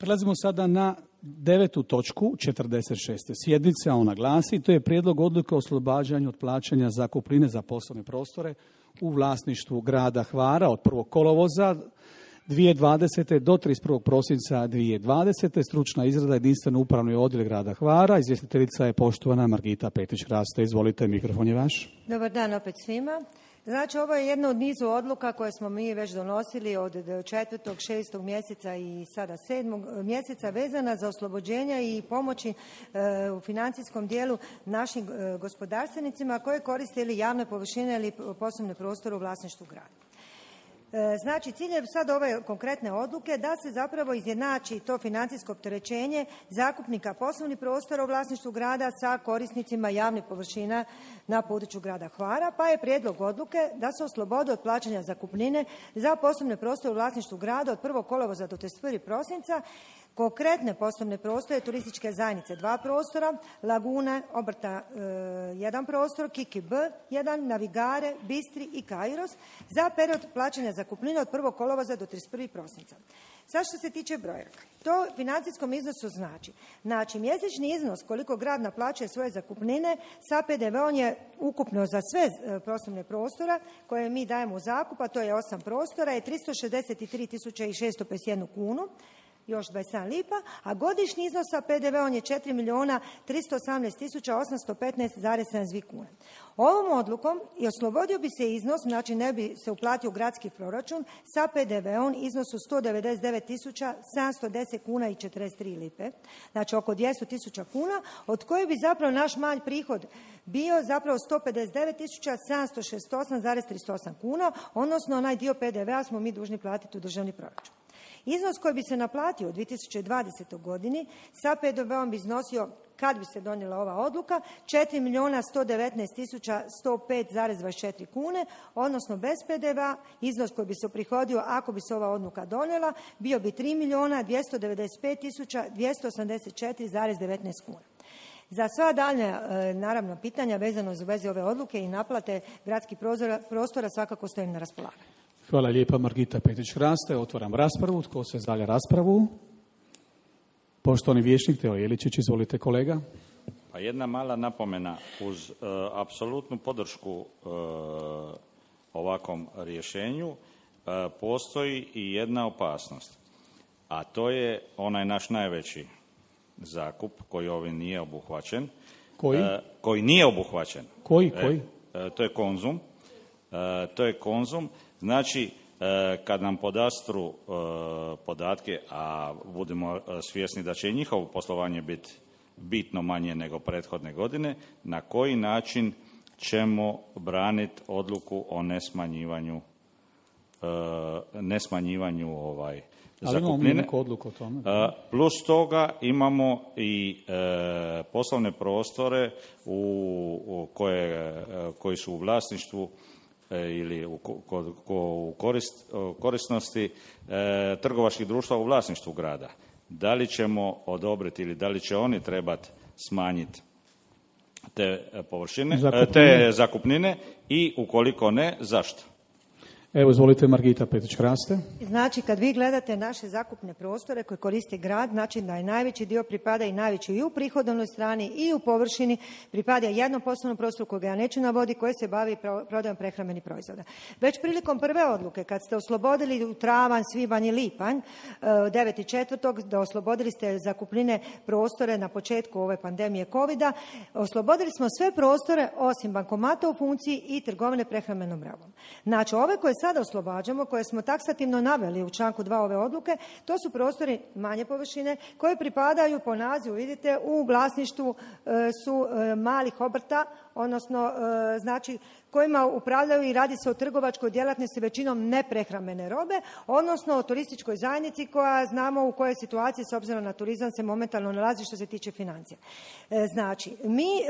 Prelazimo sada na 9. točku 46. sjednice, a ona glasi: to je prijedlog odluke o oslobađanju od plaćanja zakupnine za poslovne prostore u vlasništvu grada Hvara od 1. kolovoza 2020. do 31. prosinca 2020. Stručna izrada jedinstveno upravni odjel grada Hvara. Izvjestiteljica je poštovana Margita Petić-Raste. Izvolite, mikrofon je vaš. Dobar dan opet svima. Znači, ovo je jedna od nizu odluka koje smo mi već donosili od 4., 6. mjeseca i sada 7. mjeseca vezana za oslobođenja i pomoći u financijskom dijelu našim gospodarstvenicima koji koriste ili javne površine ili poslovne prostore u vlasništvu grada. Znači, cilj je sad ove konkretne odluke da se zapravo izjednači to financijsko opterećenje zakupnika poslovnih prostora u vlasništvu grada sa korisnicima javnih površina na području grada Hvara, pa je prijedlog odluke da se oslobode od plaćanja zakupnine za poslovne prostore u vlasništvu grada od 1. kolovoza do 31. prosinca konkretne poslovne prostore turističke zajednice 2 prostora, Lagune, obrta 1 prostor, Kiki B 1, Navigare, Bistri i Kairos za period plaćanja zakupnine od 1. kolovoza do 31. prosinca. Sad što se tiče brojaka, to financijskom iznosu znači mjesečni iznos koliko grad naplaćuje svoje zakupnine sa PDV-om je ukupno za sve poslovne prostora koje mi dajemo u zakup, a to je 8 prostora, je 363.651 kunu, još 27 lipa, a godišnji iznos sa PDV-om je 4.318.815,72 kune. Ovom odlukom i oslobodio bi se iznos, znači ne bi se uplatio u gradski proračun, sa PDV-om iznosu 199.710 kuna i 43 lipe, znači oko 200.000 kuna, od koje bi zapravo naš manj prihod bio zapravo 159.768,38 kuna, odnosno onaj dio PDV-a smo mi dužni platiti u državni proračun. Iznos koji bi se naplatio u 2020. godini sa PDV-om bi iznosio, kad bi se donijela ova odluka, 4.119.105,24 kune, odnosno bez PDV-a iznos koji bi se uprihodio ako bi se ova odluka donijela bio bi 3.295.284,19 kuna. Za sva daljnja, naravno, pitanja vezano za vezi ove odluke i naplate gradskih prostora svakako stojim na raspolaganju. Hvala lijepa, Margita Petić-Raste. Otvaram raspravu. Tko se zalja raspravu? Poštovani vijećnik Teo Jeličić, izvolite kolega. Pa jedna mala napomena, uz apsolutnu podršku ovakvom rješenju postoji i jedna opasnost, a to je onaj naš najveći zakup koji ovim nije obuhvaćen. Koji? Koji nije obuhvaćen. Koji? To je Konzum. Znači, kad nam podastru podatke, a budemo svjesni da će i njihovo poslovanje biti bitno manje nego prethodne godine, na koji način ćemo braniti odluku o nesmanjivanju ali imamo mi neku odluku o tome. Plus toga imamo i poslovne prostore koji su u vlasništvu ili u korisnosti trgovačkih društva u vlasništvu grada. Da li ćemo odobriti ili da li će oni trebati smanjiti te te zakupnine i ukoliko ne, zašto? Evo, izvolite, Margita Petić-Raste. Znači, kad vi gledate naše zakupne prostore koje koristi grad, znači da je najveći dio pripada i najveći i u prihodovnoj strani i u površini pripada jednom poslovnom prostoru kojeg ja neću navoditi, koji se bavi prodajom prehrambenih proizvoda. Već prilikom prve odluke, kad ste oslobodili u travanj, svibanj i lipanj, 9.4. da oslobodili ste zakupnine prostore na početku ove pandemije covida, oslobodili smo sve prostore osim bankomata u funkciji i trgovine prehrambenom robom. Znači, ove koje sada oslobađamo, koje smo taksativno naveli u članku 2 ove odluke, to su prostori manje površine koji pripadaju po nazivu, vidite, u vlasništvu su malih obrta, odnosno znači kojima upravljaju i radi se o trgovačkoj djelatnosti većinom neprehrambene robe, odnosno o turističkoj zajednici koja znamo u kojoj situaciji s obzirom na turizam se momentalno nalazi što se tiče financija. Znači,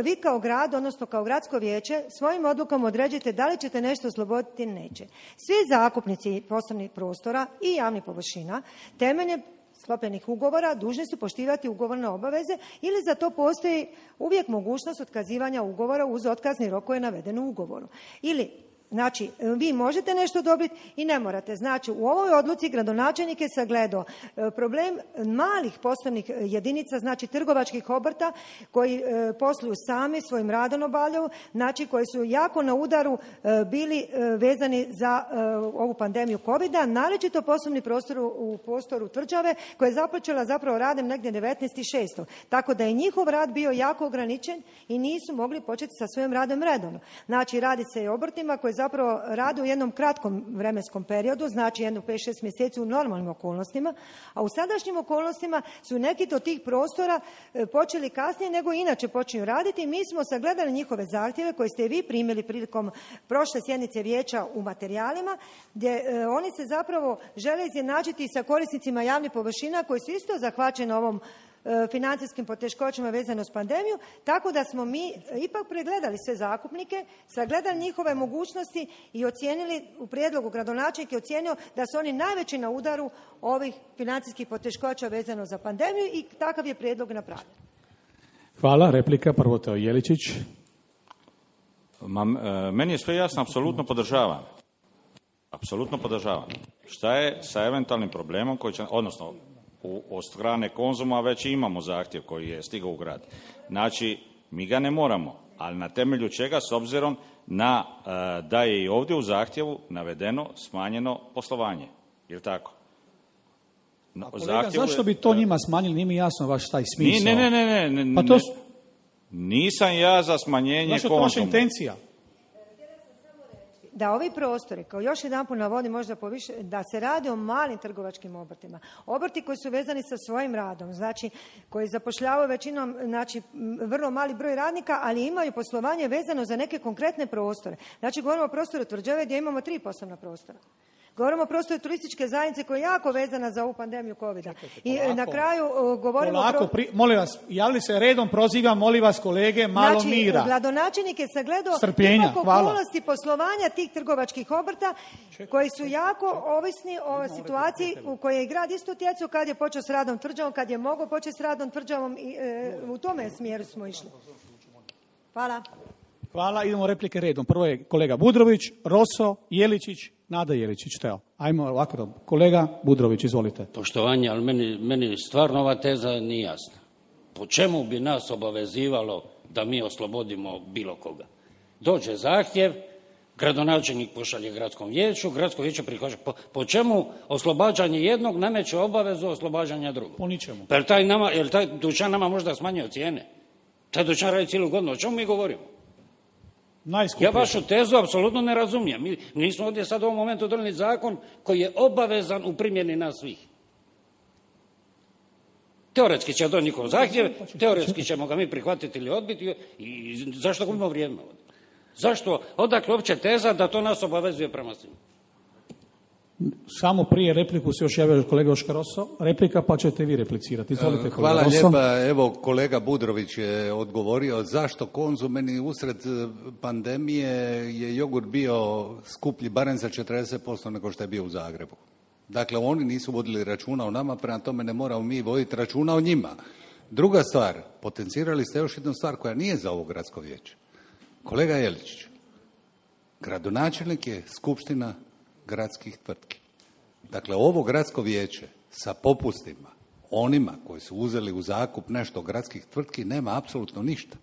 vi kao grad, odnosno kao gradsko vijeće, svojim odlukom određujete da li ćete nešto osloboditi ili neće. Svi zakupnici poslovnih prostora i javnih površina temeljem sklopljenih ugovora dužni su poštivati ugovorne obaveze ili za to postoji uvijek mogućnost otkazivanja ugovora uz otkazni rok koji je naveden u ugovoru. Ili Znači, vi možete nešto dobiti i ne morate. Znači, u ovoj odluci gradonačelnik je sagledao problem malih poslovnih jedinica, znači trgovačkih obrta koji posluju sami, svojim radom obavljaju, znači koji su jako na udaru bili vezani za ovu pandemiju COVID-a, naročito poslovni prostor u prostoru Tvrđave koja je započela zapravo radom negdje 19.6. Tako da je njihov rad bio jako ograničen i nisu mogli početi sa svojim radom redovno. Znači, radi se i o obrtima koji zapravo rade u jednom kratkom vremenskom periodu, znači jedno 5-6 mjeseci u normalnim okolnostima, a u sadašnjim okolnostima su neki od tih prostora počeli kasnije nego inače počinju raditi i mi smo sagledali njihove zahtjeve koje ste vi primili prilikom prošle sjednice vijeća u materijalima, gdje oni se zapravo žele izjednačiti sa korisnicima javnih površina koji su isto zahvaćeni ovom financijskim poteškoćama vezano s pandemiju, tako da smo mi ipak pregledali sve zakupnike, sagledali njihove mogućnosti i ocijenili, u prijedlogu gradonačelnik je ocijenio da su oni najveći na udaru ovih financijskih poteškoća vezano za pandemiju i takav je prijedlog napravljen. Hvala. Replika, prvo Teo Jeličić. Meni je sve jasno, apsolutno podržavam. Apsolutno podržavam. Šta je sa eventualnim problemom koji će, odnosno od strane Konzuma već imamo zahtjev koji je stigao u grad. Znači, mi ga ne moramo, ali na temelju čega, s obzirom na da je i ovdje u zahtjevu navedeno smanjeno poslovanje. Je li tako? Kolega, zašto bi to njima smanjili? Nije mi jasno vaš taj smisao. Ne. Pa to nisam ja za smanjenje Konzuma. Zašto je to vaša intencija? Da ovi prostori, kao još jedanput navodim možda poviše, da se radi o malim trgovačkim obrtima. Obrti koji su vezani sa svojim radom, znači koji zapošljavaju većinom, znači vrlo mali broj radnika, ali imaju poslovanje vezano za neke konkretne prostore. Znači govorimo o prostoru Tvrđave gdje imamo 3 poslovna prostora. Govorimo o prostoru turističke zajednice koja je jako vezana za ovu pandemiju COVID-a. I na kraju govorimo molim vas, javili se redom, prozivam, molim vas kolege, malo mira. Znači, gradonačelnik je sagledao ipak okolnosti poslovanja tih trgovačkih obrta koji su jako ovisni o situaciji u kojoj je grad isto utjecao kad je počeo s radom Tvrđavom, kad je mogao početi s radom Tvrđavom i u tome smjeru smo išli. Hvala. Hvala, idemo replike redom. Prvo je kolega Budrović, Roso, Jeličić, Nada Jeličić. Teo, ajmo ovako. Kolega Budrović, izvolite. Poštovanje, ali meni stvarno ova teza nije jasna. Po čemu bi nas obavezivalo da mi oslobodimo bilo koga? Dođe zahtjev, gradonačelnik pošalje gradskom vijeću, gradsko vijeće prihvaća. Po čemu oslobađanje jednog nameće obavezu oslobađanja drugog? Po ničemu. Pa jel taj dućan nama možda smanjio cijene? Taj dućan radi cijelu godinu. O čemu mi govorimo? Ja vašu tezu apsolutno ne razumijem. Mi nismo ovdje sad u ovom momentu donijeli zakon koji je obavezan u primjeni nas svih. Teoretski će donijeti njihov zahtjev, teoretski ćemo ga mi prihvatiti ili odbiti i zašto gubimo vrijeme ovdje? Zašto? Odakle uopće teza da to nas obavezuje prema svima? Samo prije repliku se još javio kolega Oškar Roso. Replika pa ćete vi replicirati. Izvolite, kolega Hvala Roso. lijepa. Evo, kolega Budrović je odgovorio zašto Konzum, meni usred pandemije je jogurt bio skuplji barem za 40% nego što je bio u Zagrebu. Dakle, oni nisu vodili računa o nama, prema tome ne moramo mi voditi računa o njima. Druga stvar, potencirali ste još jednu stvar koja nije za ovo gradsko vijeće. Kolega Jeličić, gradonačelnik je skupština gradskih tvrtki. Dakle, ovo gradsko vijeće sa popustima onima koji su uzeli u zakup nešto gradskih tvrtki nema apsolutno ništa.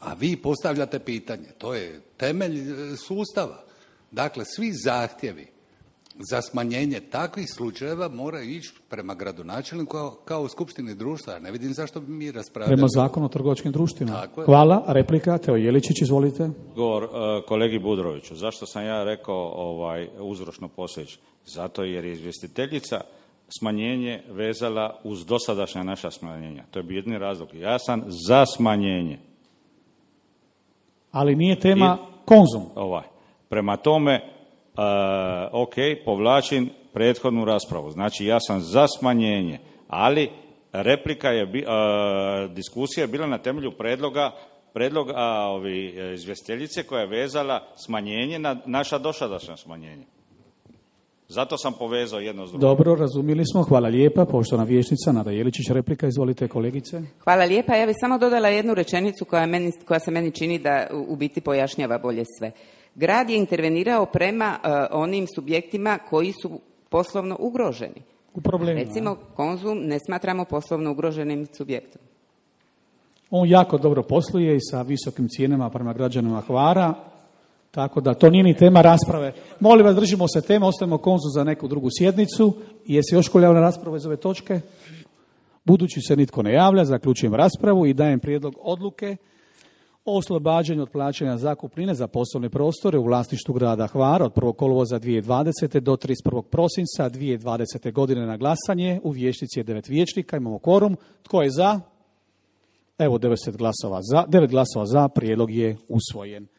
A vi postavljate pitanje. To je temelj sustava. Dakle, svi zahtjevi za smanjenje takvih slučajeva moraju ići prema gradonačelniku kao u skupštini društva. Ja ne vidim zašto bi mi raspravljali. Prema zakonu o trgovačkim društvima. Hvala. Replika, Teo Jeličić, izvolite. Govor kolegi Budroviću. Zašto sam ja rekao uzročno posljedično? Zato jer je izvjestiteljica smanjenje vezala uz dosadašnja naša smanjenja. To je bio jedini razlog. Ja sam za smanjenje. Ali nije tema Konzum. Prema tome, povlačim prethodnu raspravu. Znači, ja sam za smanjenje, ali replika je, diskusija je bila na temelju predloga izvjestiteljice koja je vezala smanjenje na naša dosadašnja smanjenja. Zato sam povezao jedno s drugim. Dobro, razumjeli smo. Hvala lijepa. Poštovana vijećnica Nada Jeličić, replika. Izvolite, kolegice. Hvala lijepa. Ja bih samo dodala jednu rečenicu koja se meni čini da u biti pojašnjava bolje sve. Grad je intervenirao prema onim subjektima koji su poslovno ugroženi. U problemima. Recimo, Konzum ne smatramo poslovno ugroženim subjektom. On jako dobro posluje i sa visokim cijenama prema građanima Hvara, tako da to nije ni tema rasprave. Molim vas, držimo se teme, ostavimo Konzum za neku drugu sjednicu. Jesi još ko javlja na raspravu iz ove točke? Budući se nitko ne javlja, zaključujem raspravu i dajem prijedlog odluke o oslobađanju od plaćanja zakupnine za poslovne prostore u vlasništvu grada Hvara od 1. kolovoza 2020. do 31. prosinca 2020. godine na glasanje. U vijećnici je 9 vijećnika, imamo kvorum. Tko je za? Evo 9 glasova za, prijedlog je usvojen.